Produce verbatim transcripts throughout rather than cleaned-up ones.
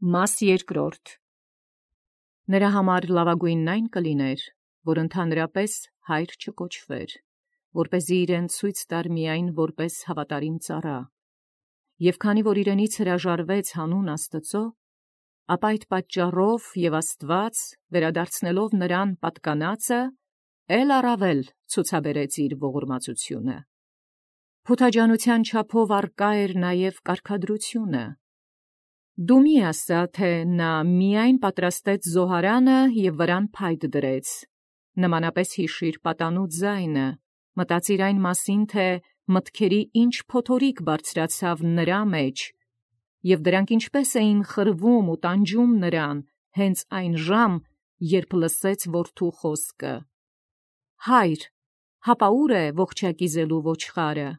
Մաս երկրորդ. Նրա համար լավագույնն այն կլիներ, որ ընդհանրապես հայր չկոչվեր, որպեսզի իրեն ցույց տար միայն որպես հավատարիմ ծառա, և քանի որ իրենից հրաժարվեց հանուն Աստծո, ապա այդ պատճառով և Աստված, վերադարձնելով նրան պատկանածը, էլ առավել ցուցաբերեց իր ողորմածությունը։ Փութաջանության չափով արկա էր նաև կարգադրությունը։ Դու մի ասա, թե նա միայն պատրաստեց զոհարանը և վրան փայտ դրեց, նմանապես հիշիր պատանու ձայնը, մտածիր այն մասին, թե մտքերի ինչ փոթորիկ բարձրացավ նրա մեջ, և դրանք ինչպես էին խրվում ու տանջում նրան, հենց այն ժամ, երբ լսեց որդու խոսքը. «Հայր, հապա ուր է ողջակիզելու ոչխարը»։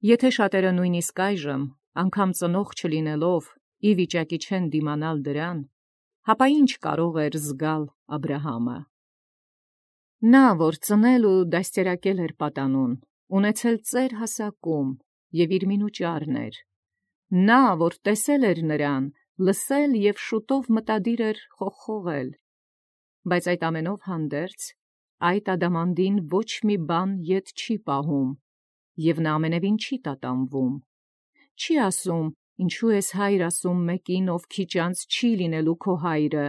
Եթե շատերը նույնիսկ այժմ, անգամ ծնող չլինելով, ի վիճակի չեն դիմանալ դրան, հապա ի՞նչ կարող էր զգալ Աբրահամը։ Նա, որ ծնել ու դաստիարակել էր պատանուն, ունեցել ծեր հասակում և իր մինուճարն էր, նա, որ տեսել էր նրան, լսել և շուտով մտադիր էր խողխողել, բայց այդ ամենով հանդերձ, այդ ադամանդին ոչ մի բան ետ չի պահում, և նա ամենևին չի տատանվում, չի ասում. «Ինչու ես հայր ասում մեկին, ով քիչ անց չի լինելու քո հայրը,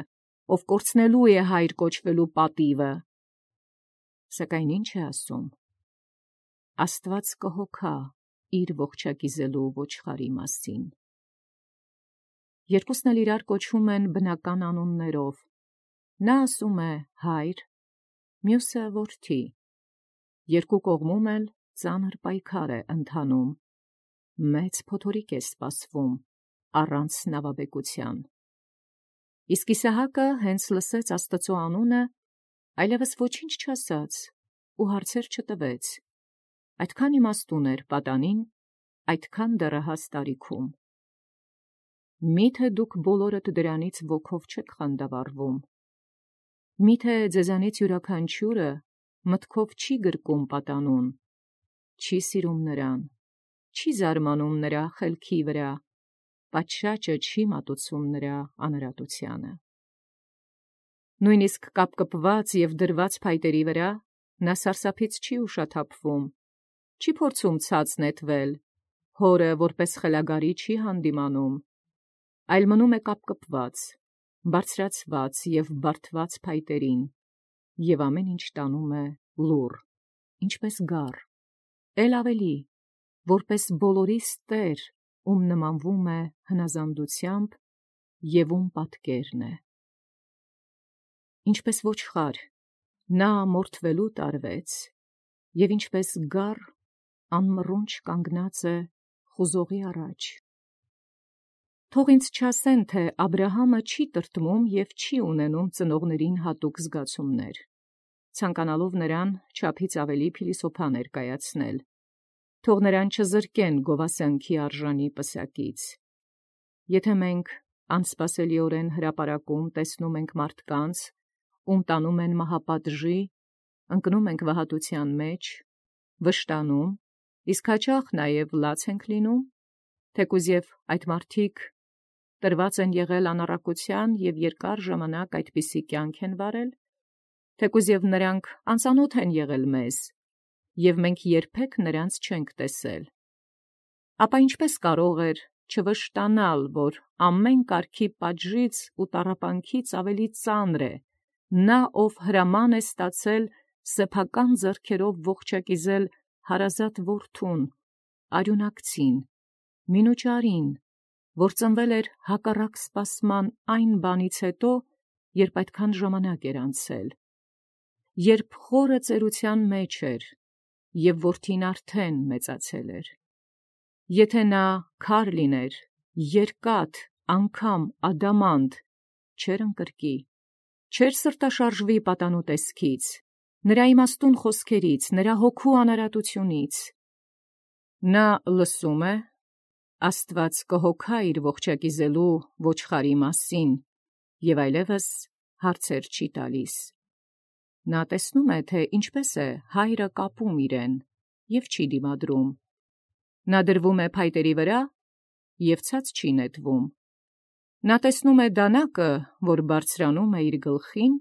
ով կորցնելու է հայր կոչվելու պատիվը»։ Սակայն ի՞նչ է ասում. Աստված կհոգա իր ողջակիզելու ոչխարի մասին։ Երկուսն էլ իրար կոչվում են բնական անուններով. նա ասում է հայր, մյուսը որդի, երկու կողմում էլ ծանր պայքար է ընթանում, մեծ փոթորիկ է սպասվում առանց նավաբեկության։ Իսկ Իսահակը հենց լսեց Աստծո անունը, այլևս ոչինչ չասաց ու հարցեր չտվեց, այդքան իմաստուն էր պատանին, այդքան դեռահաս տարիքում։ Մի՞թե դուք բոլորդ դրանից ոգով չեք խանդավառվում։ Մի՞թե ձեզանից յուրաքանչյուրը մտքով չի գրկում պատանուն, չի սիրում նրան, չի զարմանում նրա խելքի վրա, պատշաճը չի մատուցում նրա անըրատությանը։ Նույնիսկ կապկպված և դրված փայտերի վրա նա սարսափից չի ուշաթափվում, չի փորձում ցած նետվել, հորը որպես խելագարի չի հանդիմանում, այլ մնում է կապկպված, բարձրացված և բարդված փայտերին, և ամեն ինչ տանում է լուռ, ինչպես գառ, էլ ավելի, որպես բոլորիս տեր, ում նմանվում է հնազանդությամբ և ում պատկերն է։ Ինչպես ոչխար, նա մորթվելու տարվեց, և ինչպես գառ անմռունչ կանգնած է խուզողի առաջ։ Թող ինձ չասեն, թե Աբրահամը չի տրտմում և չի ունենում ծնողներին հատուկ զգացումներ, ցանկանալով նրան չափից ավելի փիլիսոփա ներկայացնել, թող նրան չզրկեն գովասանքի արժանի պսակից։ Եթե մենք անսպասելիորեն հրապարակում տեսնում ենք մարդկանց, ում տանում են մահապատժի, ընկնում ենք վհատության մեջ, վշտանում, իսկ հաճախ նաև լաց ենք լինում, թեկուզ և այդ մարդիկ տրված են եղել անառակության և երկար ժամանակ այդպիսի կյանք են վարել, թեկուզ և նրանք անծանոթ են եղել մեզ, և մենք երբեք նրանց չենք տեսել, ապա ինչպես կարող էր չվշտանալ, որ ամեն կարգի պատժից ու տառապանքից ավելի ծանր է նա, ով հրաման է ստացել սեփական ձեռքերով ողջակիզել հարազատ որդուն, արյունակցին, մինուճարին, որ ծնվել էր հակառակ սպասման այն բանից հետո, երբ այդքան ժամանակ էր անցել, երբ խորը ծերության մեջ էր, և որդին արդեն մեծացել էր։ Եթե նա քար լիներ, երկաթ, անգամ ադամանդ, չէր ընկրկի, չէր սրտաշարժվի պատանու տեսքից, նրա իմաստուն խոսքերից, նրա հոգու անարատությունից։ Նա լսում է, Աստված կհոգա իր ողջակիզելու ոչխարի մասին, և այլևս հարցեր չի տալիս։ Նա տեսնում է, թե ինչպես է հայրը կապում իրեն, և չի դիմադրում։ Նա դրվում է փայտերի վրա և ցած չի նետվում, Նա տեսնում է դանակը, որ բարձրանում է իր գլխին,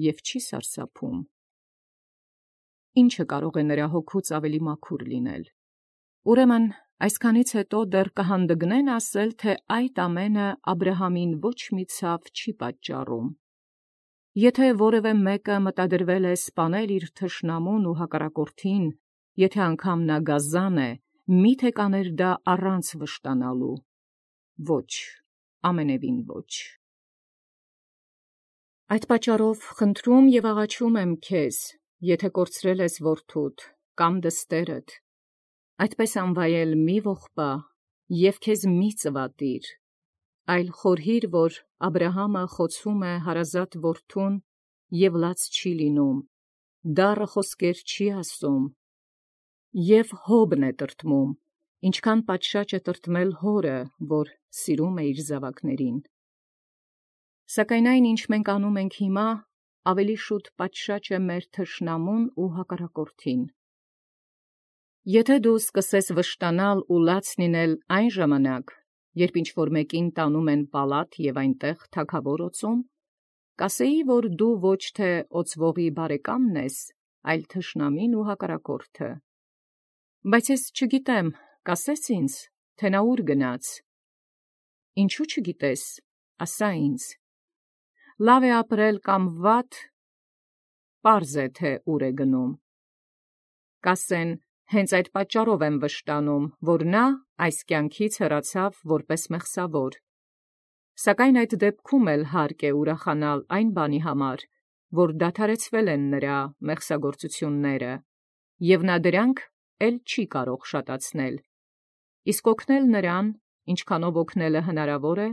և չի սարսափում։ Ի՞նչը կարող է նրա հոգուց ավելի մաքուր լինել։ Ուրեմն այսքանից հետո դեռ կհանդգնեն ասել, թե այդ ամենը Աբրահամին ոչ մի ցավ չի պատճառում։ Եթե որևէ մեկը մտադրվել է սպանել իր թշնամուն ու հակառակորդին, եթե անգամ նա գազան է, մի՞թե կաներ դա առանց վշտանալու։ Ոչ, ամենևին ոչ։ Այդ պատճառով խնդրում և աղաչում եմ քեզ, եթե կորցրել ես որդուդ կամ դստերդ, այդպես անվայել մի ողբա և քեզ մի ծվատիր, այլ խորհիր, որ Աբրահամը խոցում է հարազատ որդուն և լաց չի լինում, դառը խոսքեր չի ասում, և հոբն է տրտմում, ինչքան պատշաճ է տրտմել հորը, որ սիրում է իր զաւակներին։ Սակայն այն, ինչ մենք անում ենք հիմա, ավելի շուտ պատշաճ է մեր թշնամուն ու հակառակորդին։ Եթե դու սկսես վշտանալ ու լաց լինել այն ժամանակ, երբ ինչ-որ մեկին տանում են պալատ և այնտեղ թագավոր օծում, կասեի, որ դու ոչ թե օծվողի բարեկամն ես, այլ թշնամին ու հակառակորդը։ Բայց ես չգիտեմ, կասես ինձ, թե նա ուր գնաց։ Ինչու չգիտես, ասա ինձ։ Լավ է ապրել կամ վատ, պարզ է, թե ուր է գնում։ Կասեն, հենց այդ պատճառով եմ վշտանում, որ նա այս կյանքից հեռացավ որպես մեղսավոր։ Սակայն այդ դեպքում էլ հարկ է ուրախանալ այն բանի համար, որ դադարեցվել են նրա մեղսագործությունները, և նա դրանք էլ չի կարող շատացնել։ Իսկ օգնել նրան, ինչքանով օգնելը հնարավոր է,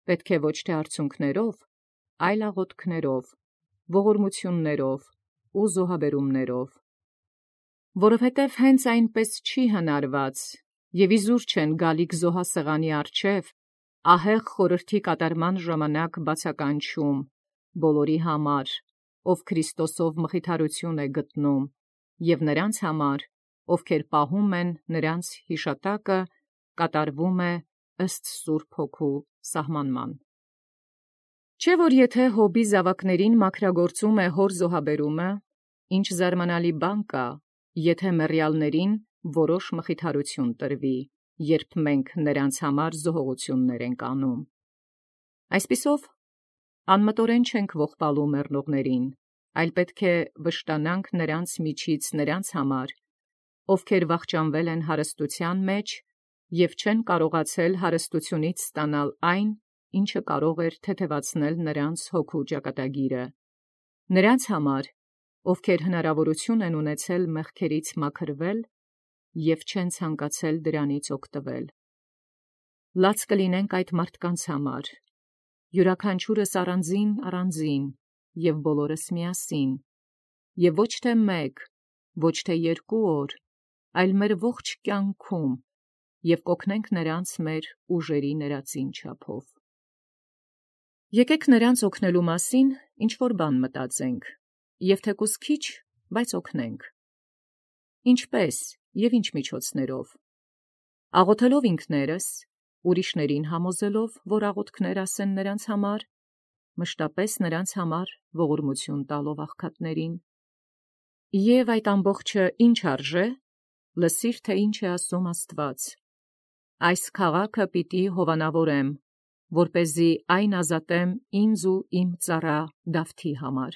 պետք է ոչ թե արցունքներով, այլ աղոթքներով, ողորմություններով ու զոհաբերումներով։ Որովհետև հենց այնպես չի հնարված, և իզուր չեն գալիք զոհասեղանի առջև, ահեղ խորհրդի կատարման ժամանակ բացականչում, բոլորի համար, ով Քրիստոսով մխիթարություն է գտնում, և նրանց համար, ովքեր պահում են նրանց յիշատակը, կատարվում է ըստ Սուրբ Հոգու սահմանման։ Չէ՞ որ եթե Հոբի զավակներին մաքրագործում է հոր զոհաբերումը, ինչ զարմանալի բան կա, եթե մեռյալներին որոշ մխիթարություն տրվի, երբ մենք նրանց համար զոհողություններ ենք անում։ Այսպիսով, անմտորեն չենք ողբալու մեռնողներին, այլ պետք է վշտանանք նրանց միջից նրանց համար, ովքեր վախճանվել են հարստության մեջ և չեն կարողացել հարստությունից ստանալ այն, ինչը կարող էր թեթևացնել նրանց հոգու ճակատագիրը, նրանց համար, ովքեր հնարավորություն են ունեցել մեղքերից մաքրվել և չեն ցանկացել դրանից օգտվել։ Լաց կլինենք այդ մարդկանց համար, յուրաքանչյուրս առանձին առանձին և բոլորս միասին, և ոչ թե մեկ, ոչ թե երկու օր, այլ մեր ողջ կյանքում, և կօգնենք նրանց մեր ուժերի ներածին չափով։ Եկեք նրանց օգնելու մասին ինչ-որ բան մտածենք, և թեկուզ քիչ, բայց օգնենք։ Ինչպե՞ս և ինչ միջոցներով։ Աղոթելով ինքներս, ուրիշներին համոզելով, որ աղոթքներ ասեն նրանց համար, մշտապես նրանց համար ողորմություն տալով աղքատներին։ Եվ այդ ամբողջը ի՞նչ արժե, լսիր, թե ինչ է ասում Աստված. «Այս քաղաքը պիտի հովանավորեմ, որպեսզի այն ազատեմ ինձ ու իմ ծառա Դավթի համար»։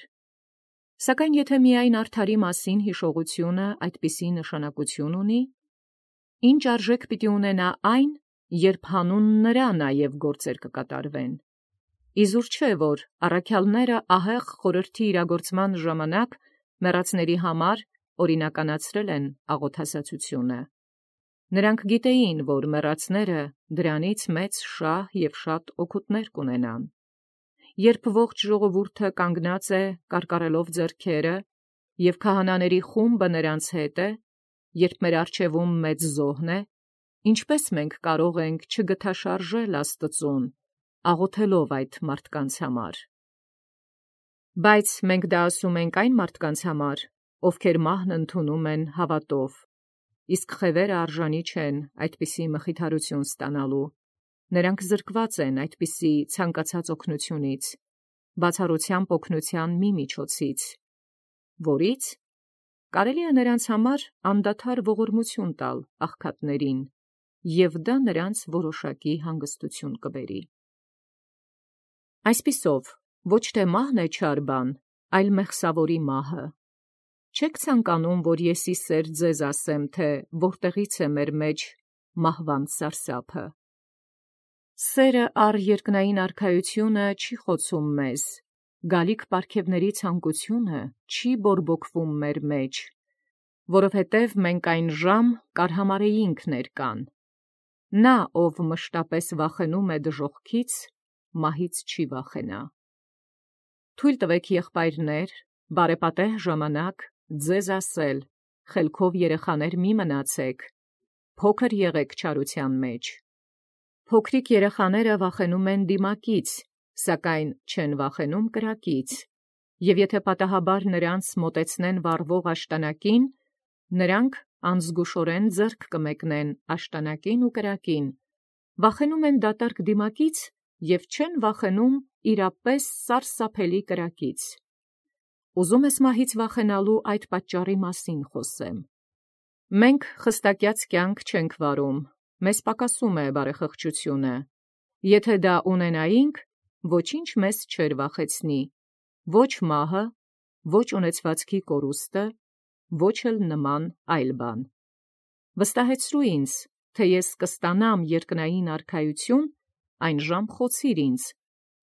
Սակայն եթե միայն արդարի մասին հիշողությունը այդպիսի նշանակություն ունի, ի՞նչ արժեք պիտի ունենա այն, երբ հանուն նրա նաև գործեր կկատարվեն։ Իզուր չէ, որ առաքյալները ահեղ խորհրդի իրագործման ժամանակ մեռածների համար օրինականացրել են աղոթասացությունը։ Նրանք գիտեին, որ մեռածները դրանից մեծ շահ և շատ օգուտներ կունենան։ Երբ ողջ ժողովուրդը կանգնած է կարկառելով ձեռքերը, և քահանաների խումբը նրանց հետ է, երբ մեր առջևում մեծ զոհն է, ինչպե՞ս մենք կարող ենք չգթաշարժել Աստծուն, աղոթելով այդ մարդկանց համար։ Բայց մենք դա ասում ենք այն մարդկանց համար, ովքեր մահն ընդունում են հավատով, իսկ խևերը արժանի չեն այդպիսի մխիթարություն ստանալու, Նրանք զրկված են այդպիսի ցանկացած օգնությունից, բացառությամբ օգնության մի միջոցից, որից կարելի է նրանց համար անդադար ողորմություն տալ աղքատներին, և դա նրանց որոշակի հանգստություն կբերի։ Այսպիսով, ոչ թե մահն է չար բան, այլ մեղսավորի մահը։ Չեք ցանկանում, որ ես ի սեր ձեզ ասեմ, թե որտեղից է մեր մեջ մահվան սարսափը։ Սերը առ երկնային արքայությունը չի խոցում մեզ, գալիք պարգևների ցանկությունը չի բորբոքվում մեր մեջ, որովհետև մենք այն ժամ կարհամարեինք ներկան։ Նա, ով մշտապես վախենում է դժոխքից, մահից չի վախենա։ Թույլ տվեք, եղբայրներ, բարեպատեհ ժամանակ ձեզ ասել, խելքով երեխաներ մի մնացեք, փոքր եղեք չարության մեջ։ Փոքրիկ երեխաները վախենում են դիմակից, սակայն չեն վախենում կրակից, և եթե պատահաբար նրանց մոտեցնեն վառվող աշտանակին, նրանք անզգուշորեն ձեռք կմեկնեն աշտանակին ու կրակին, վախենում են դատարկ դիմակից և չեն վախենում իրապես սարսափելի կրակից։ Ուզում ես մահից վախենալու այդ պատճառի մասին խոսեմ։ Մենք խստակյաց կյանք չենք վարում, մեզ պակասում է բարեխղճությունը։ Եթե դա ունենայինք, ոչինչ մեզ չէր վախեցնի, ոչ մահը, ոչ ունեցվածքի կորուստը, ոչ էլ նման այլ բան։ Վստահեցրու ինձ, թե ես կստանամ երկնային արքայություն, այն ժամ խոցիր ինձ,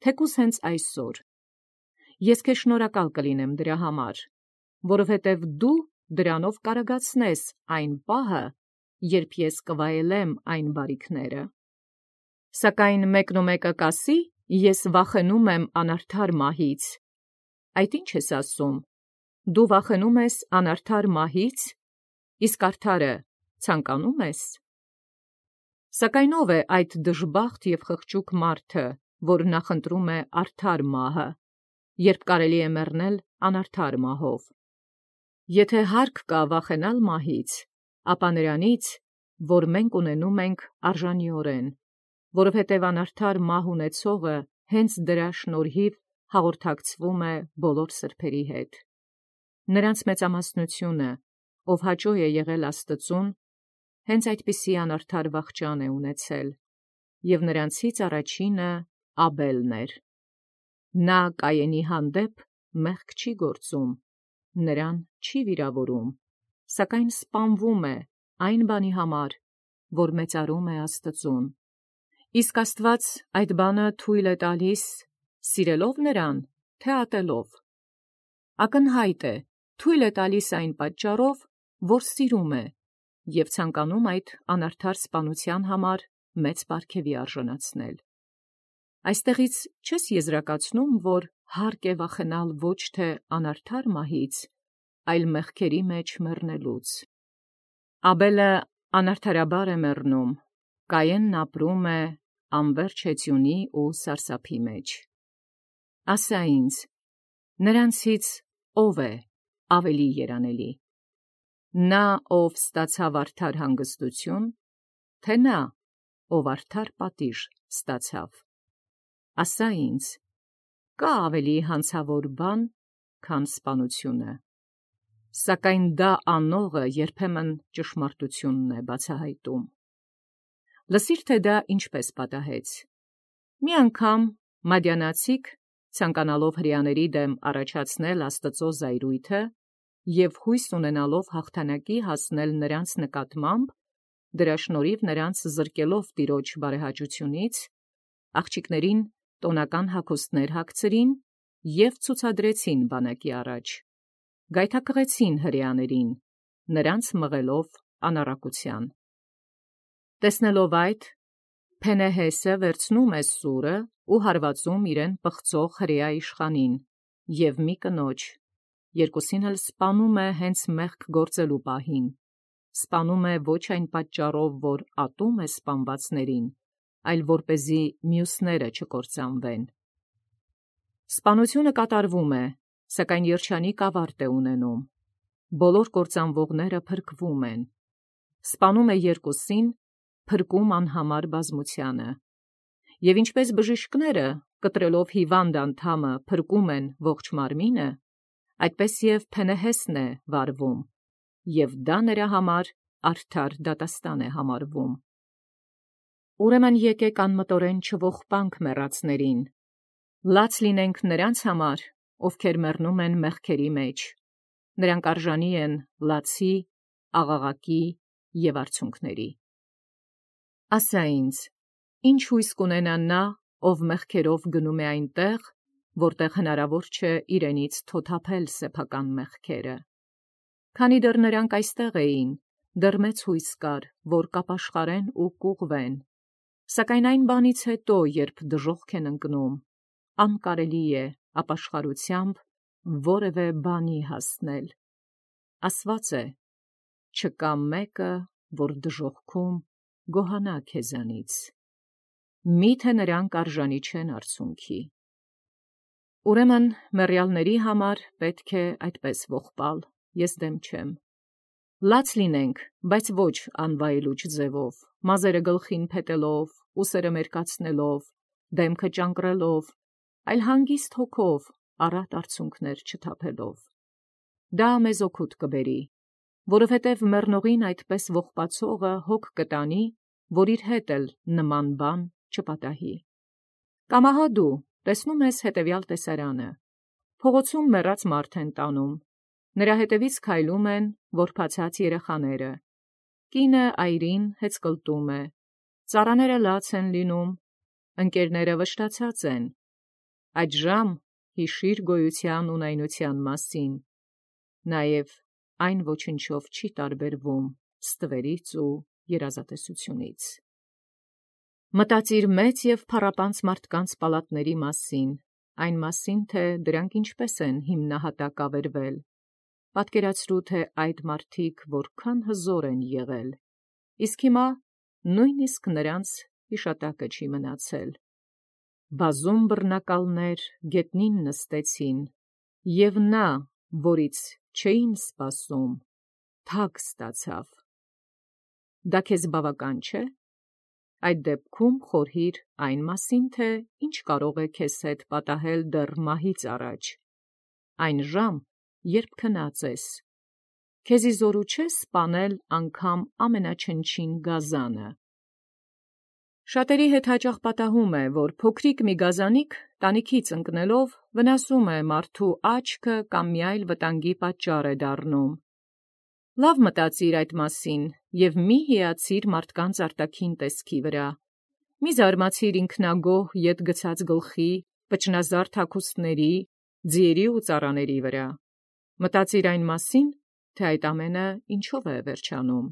թեկուզ հենց այսօր։ Ես քեզ շնորհակալ կլինեմ դրա համար, որովհետև դու դրանով կարագացնես այն պահը, երբ ես կվայելեմ այն բարիքները։ Սակայն մեկնումեկը կասի, ես վախենում եմ անարդար մահից։ Այդ ի՞նչ ես ասում, դու վախենում ես անարդար մահից, իսկ արդարը ցանկանում ես։ Սակայն ո՞վ է այդ դժբախտ և խղճուկ մարդը, որ նախընտրում է արդար մահը, երբ կարելի է մեռնել անարդար մահով։ Եթե հարկ կա վախենալ մահից, ապա նրանից, որ մենք ունենում ենք արժանիորեն, որովհետև անարդար մահ ունեցողը հենց դրա շնորհիվ հաղորդակցվում է բոլոր սրբերի հետ։ Նրանց մեծամասնությունը, ով հաճո է եղել Աստծուն, հենց այդպիսի անարդար վախճան է ունեցել, և նրանցից առաջինը Աբելն էր։ Նա Կայենի հանդեպ մեղք չի գործում, նրան չի վիրավորում, սակայն սպանվում է այն բանի համար, որ մեծարում է Աստծուն։ Իսկ Աստված այդ բանը թույլ է տալիս, սիրելով նրան, թե ատելով։ Ակնհայտ է, թույլ է տալիս այն պատճառով, որ սիրում է, և ցանկանում այդ անարդար սպանության համար մեծ պարգևի արժանացնել։ Այստեղից չես եզրակացնում, որ հարկ է վախենալ ոչ թե անարդար մահից, այլ մեղքերի մեջ մեռնելուց։ Աբելը անարդարաբար է մեռնում, Կայենն ապրում է անվերջ հեծյունի ու սարսափի մեջ։ Ասա ինձ, նրանցից ո՞վ է ավելի երանելի։ Նա, ով ստացավ արդար հանգստություն, թե նա, ով արդար պատիժ ստացավ։ Ասա ինձ, կա՞ ավելի հանցավոր բան, քան սպանությունը։ Սակայն դա անողը երբեմն ճշմարտությունն է բացահայտում։ Լսիր, թե դա ինչպես պատահեց։ Մի անգամ մադիանացիք, ցանկանալով հրեաների դեմ առաջացնել Աստծո զայրույթը և հույս ունենալով հաղթանակի հասնել նրանց նկատմամբ, դրա շնորհիվ նրանց զրկելով Տիրոջ բարեհաճությունից, աղջիկներին տոնական հագուստներ հագցրին և ցուցադրեցին բանակի առաջ, գայթակղեցին հրեաներին, նրանց մղելով անառակության։ Տեսնելով այդ, Փենեհեսը վերցնում է սուրը ու հարվածում իրեն պղծող հրեա իշխանին և մի կնոջ, երկուսին էլ սպանում է հենց մեղք գործելու պահին, սպանում է ոչ այն պատճառով, որ ատում է սպանվածներին, այլ որպեսզի մյուսները չկործանվեն։ Սպանությունը կատարվում է, սակայն երջանիկ ավարտ է ունենում։ Բոլոր կործանվողները փրկվում են։ Սպանում է երկուսին, փրկում անհամար բազմությանը։ եւ ինչպես բժիշկները կտրելով հիվանդ անդամը փրկում են ողջ մարմինը, այդպես եւ Փենեհեսն է վարվում, եւ դա նրա համար արդար դատաստան է համարվում։ Ուրեմն եկեք անմտորեն չողբանք մեռածներին, լաց լինենք նրանց համար, ովքեր մեռնում են մեղքերի մեջ, նրանք արժանի են լացի, աղաղակի եւ արցունքների։ Ասա ինձ, ինչ հույս կունենա նա, ով մեղքերով գնում է այնտեղ, որտեղ հնարավոր չէ իրենից թոթափել սեփական մեղքերը։ Քանի դեռ նրանք այստեղ էին, դեռ մեծ հույս կար, որ կապաշխարեն ու կուղվեն, սակայն այն բանից հետո, երբ դժոխք են ընկնում, անկարելի է ապաշխարությամբ որևէ բանի հասնել։ Ասված է. չկա մեկը, որ դժոխքում գոհանա քեզանից, միթե նրանք արժանի չեն արցունքի։ Ուրեմն մեռյալների համար պետք է այդպես ողբալ, ես դեմ չեմ։ Լաց լինենք, բայց ոչ անվայելուչ ձևով, մազերը գլխին փետելով, ուսերը մերկացնելով, դեմքը ճանկռելով, այլ հանգիստ հոգով, առատ արցունքներ չթափելով։ Դա մեզ օգուտ կբերի, որովհետև մեռնողին այդպես ողբացողը հոգ կտանի, որ իր հետ էլ նման բան չպատահի։ Կամ ահա դու տեսնում ես հետևյալ տեսարանը. փողոցում մեռած մարդ են տանում, նրա հետևից քայլում են որբացած երեխաները, կինը այրին հեծկլտում է, ծառաները լաց են լինում, ընկերները վշտացած են։ Այդժամ հիշիր գոյության ունայնության մասին, նաև այն ոչնչով չի տարբերվում ստվերից ու երազատեսությունից։ Մտածիր մեծ և փառապանծ մարդկանց պալատների մասին, այն մասին, թե դրանք ինչպես են հիմնահատակ ավերվել։ Պատկերացրու, թե այդ մարդիկ որքան հզոր են եղել, իսկ հիմա նույնիսկ նրանց հիշատակը չի մնացել։ Բազում բռնակալներ գետնին նստեցին, և նա, որից չէին սպասում, թագ ստացավ։ Դա քեզ բավական չէ՞։ Այդ դեպքում խորհիր այն մասին, թե ինչ կարող է քեզ հետ պատահել դեռ մահից առաջ, այն ժամ, երբ քնած ես, քեզի զորու չէ սպանել անգամ ամենաչնչին գազանը։ Շատերի հետ հաճախ պատահում է, որ փոքրիկ մի գազանիկ տանիքից ընկնելով վնասում է մարդու աչքը կամ մի այլ վտանգի պատճառ է դառնում։ Լավ մտածիր այդ մասին և մի հիացիր մարդկանց արտաքին տեսքի վրա։ Մի զարմացիր ինքնագոհ ետ գցած գլխի, վճնազարդ հագուստների, ձիերի ու ծառաների վրա։ Մտածիր այն մասին, թե այդ ամենը ինչով է վերջանում։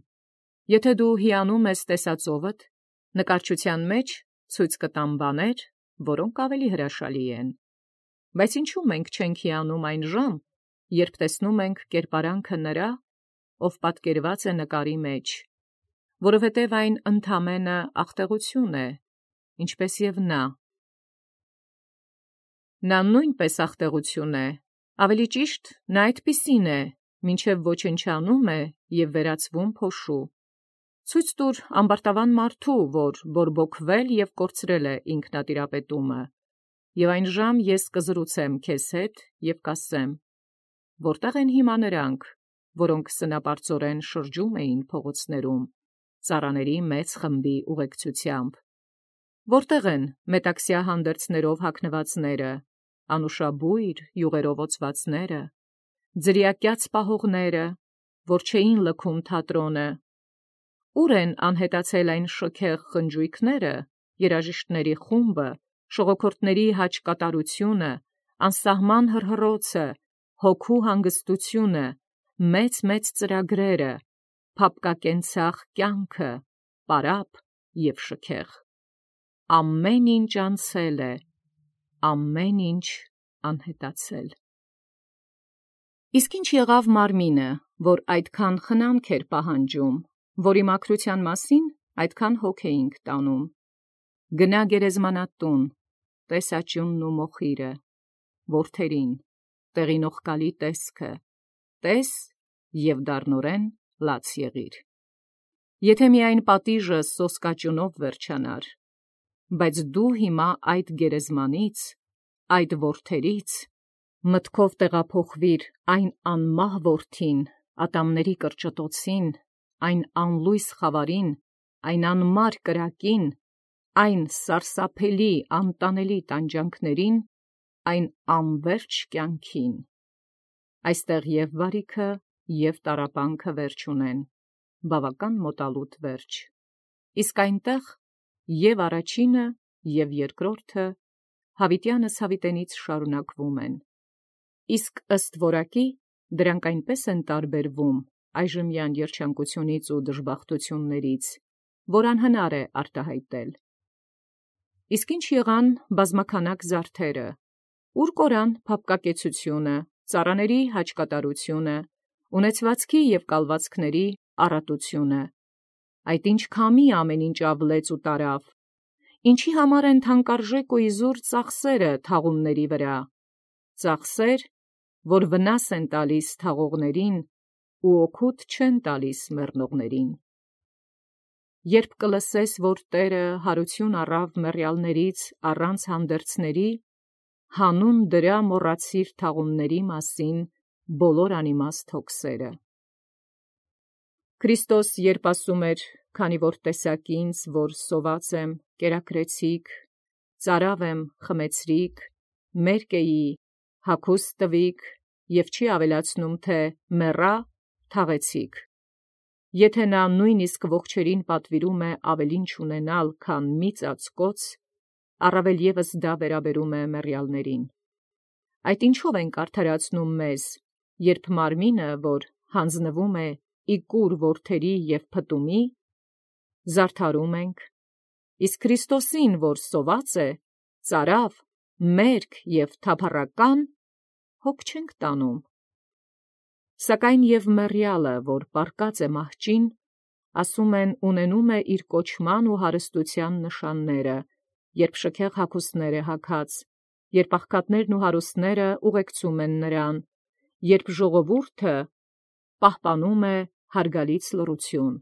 Եթե դու հիանում ես տեսածովդ, նկարչության մեջ ցույց կտամ բաներ, որոնք ավելի հրաշալի են։ Բայց ինչու մենք չենք հիանում այն ժամ, երբ տեսնում ենք կերպարանքը նրա, ով պատկերված է նկարի մեջ, որովհետև այն ընդամենը ախտեղություն է, ինչպես և նա։ Նա նույնպես ախտեղություն է, ավելի ճիշտ նա այդպիսին է, մինչև ոչնչանում է և վերածվում փոշու։ Ցույց տուր ամբարտավան մարդու, որ բորբոքվել և կորցրել է ինքնատիրապետումը, և այն ժամ ես կզրուցեմ քեզ հետ և կասեմ. որտե՞ղ են հիմա նրանք, որոնք սնապարծորեն շրջում էին փողոցներում, ծառաների մեծ խմբի ուղեկցությամբ։ Որտե՞ղ են մետաքսյա հանդերձներով հագնվածները, անուշաբույր յուղերով օծվածները, ձրիակյաց պահողները, որ չէին լքում թատրոնը։ Ուր են անհետացել այն շքեղ խնջույքները, երաժիշտների խումբը, շողոքորթների հաճկատարությունը, անսահման հռհռոցը, հոգու հանգստությունը, մեծ-մեծ ծրագրերը, փափկակենցաղ կյանքը, պարապ և շքեղ։ Ամեն ինչ անցել է, ամեն ինչ անհետացել։ Իսկ ինչ եղավ մարմինը, որ այդքան խնամք էր պահանջում, որի մաքրության մասին այդքան հոգ էինք տանում։ Գնա գերեզմանատուն, տես աճյունն ու մոխիրը, որդերին, տեղի նողկալի տեսքը, տես և դառնորեն լաց եղիր։ Եթե միայն պատիժը սոսկաճյունով վերջանար, բայց դու հիմա այդ գերեզմանից, այդ որդերից, մտքով տեղափոխվիր այն անմահ որդին, ատամների կրճտոցին, այն անլույս խավարին, այն անմար կրակին, այն սարսափելի անտանելի տանջանքներին, այն անվերջ կյանքին։ Այստեղ և բարիքը, և տառապանքը վերջ ունեն, բավական մոտալուտ վերջ, իսկ այնտեղ և առաջինը, և երկրորդը հավիտյանս հավիտենից շարունակվում են, իսկ ըստ որակի դրանք այնպես են տարբերվում այժմյան երջանկությունից ու դժբախտություններից, որ անհնար է արտահայտել։ Իսկ ինչ եղան բազմաքանակ զարդերը, ուր կորան փափկակեցությունը, ծառաների հաճկատարությունը, ունեցվածքի և կալվածքների առատությունը, այդ ինչ քամի ամեն ինչ ավլեց ու տարավ, ինչի համար են թանկարժեք ու իզուր ծախսերը թաղումների վրա, ծախսեր, որ վնաս են տալիս թաղողներին ու օգուտ չեն տալիս մեռնողներին։ Երբ կլսես, որ Տէրը հարություն առավ մեռյալներից առանց հանդերձների, հանուն դրա մոռացիր թաղումների մասին բոլոր անիմաստ հոգսերը։ Քրիստոս երբ ասում էր, քանի որ տեսաք ինձ, որ սոված եմ, կերակրեցիք, ծարավ եմ, խմեցրիք, մերկ էի, հագուստ տվիք, և չի ավելացնում, թե մեռա, թաղեցիք։ Եթե նա նույնիսկ ողջերին պատվիրում է ավելին չունենալ, քան մի ծածկոց, առավել ևս դա վերաբերում է մեռյալներին։ Այդ ինչով ենք արդարացնում մեզ, երբ մարմինը, որ հանձնվում է իգուր որդերի և փտումի, զարդարում ենք, իսկ Քրիստոսին, որ սոված է, ծարավ, մերկ և թափառական, հոգ չենք տանում։ Սակայն և մեռյալը, որ պառկած է մահճին, ասում են, ունենում է իր կոչման ու հարստության նշանները, երբ շքեղ հագուստներ է հագած, երբ աղքատներն ու հարուստները ուղեկցում են նրան, երբ ժողովուրդը պահպանում է հարգալից լռություն։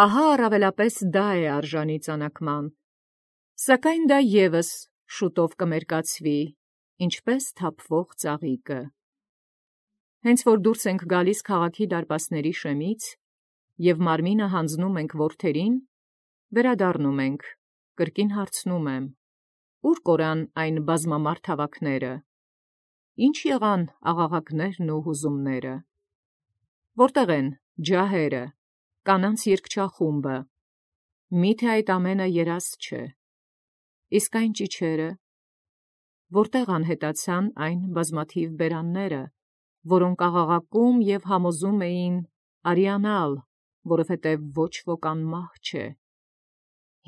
Ահա առավելապես դա է արժանի ծանակման, սակայն դա ևս շուտով կմերկացվի, ինչպես թափվող ծաղիկը։ Հենց որ դուրս ենք գալիս քաղաքի դարպասների շեմից, և մարմինը հանձնում ենք որդերին, վերադառնում ենք, կրկին հարցնում եմ. ուր կորան այն բազմամարդ հավաքները, ինչ եղան աղաղակներն ու հուզումները, որտեղ են ջահերը, կանանց երգչախումբը, միթե այդ ամենը երազ չէ, իսկ այն ճիչերը, որտեղ անհետացան այն բազմաթիվ բերանները, որոնք աղաղակում և համոզում էին արիանալ, որովհետև ոչ ոք անմահ չէ։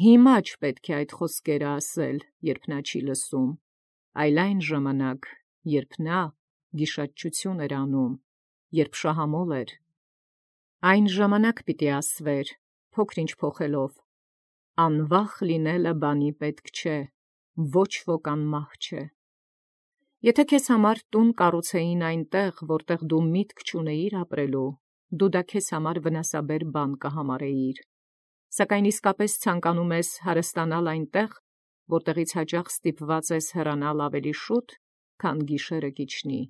Հիմա չպետք է այդ խոսքերը ասել, երբ նա չի լսում, այլ այն ժամանակ, երբ նա գիշատչություն էր անում, երբ շահամոլ էր, այն ժամանակ պիտի ասվեր, փոքր-ինչ փոխելով. անվախ լինելը բանի պետք չէ, ոչ ոք անմահ չէ։ Եթե քեզ համար տուն կառուցեին այնտեղ, որտեղ դու միտք չունեիր ապրելու, դու դա քեզ համար վնասաբեր բան կհամարեիր, սակայն իսկապես ցանկանում ես հարստանալ այնտեղ, որտեղից հաճախ ստիպված ես հեռանալ ավելի շուտ, քան գիշերը կիջնի։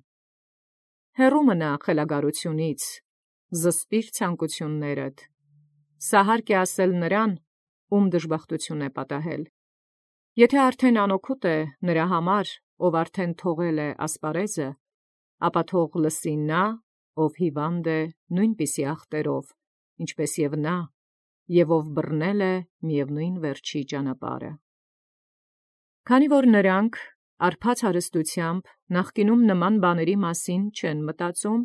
Հեռու մնա խելագարությունից, զսպիր ցանկություններդ, սա հարկ է ասել նրան, ում դժբախտություն է պատահել։ Եթե արդեն անօգուտ է նրա համար, ով արդեն թողել է ասպարեզը, ապա թող լսի նա, ով հիվանդ է նույնպիսի ախտերով, ինչպես և նա, և ով բռնել է միևնույն վերջի ճանապարհը։ Քանի որ նրանք արբած հարստությամբ նախկինում նման բաների մասին չեն մտածում,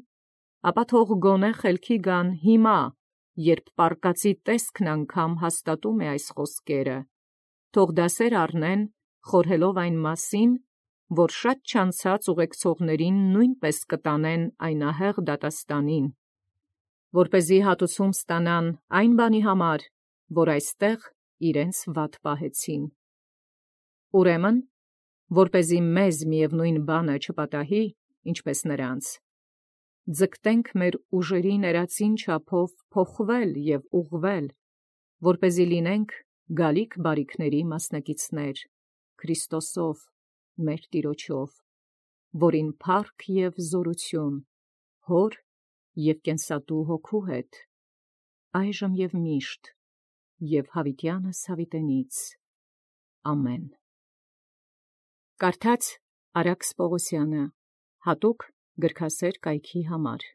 ապա թող գոնե խելքի գան հիմա, երբ պառկածի տեսքն անգամ հաստատում է այս խոսքերը, թող դասեր առնեն, խորհելով այն մասին, որ շատ չանցած ուղեկցողներին նույնպես կտանեն այն ահեղ դատաստանին, որպեսզի հատուցում ստանան այն բանի համար, որ այստեղ իրենց վատ պահեցին։ Ուրեմն, որպեսզի մեզ միևնույն բանը չպատահի, ինչպես նրանց, ձգտենք մեր ուժերի ներածին չափով փոխվել և ուղղվել, որպեսզի լինենք գալիք բարիքների մասնակիցներ Քրիստոսով մեր Տիրոջով, որին փառք և զորություն հոր և կենսատու հոգու հետ, այժմ և միշտ և հավիտյանս հավիտենից, ամեն։ Կարդաց Արաքս Պողոսյանը, հատուկ գրքասեր կայքի համար։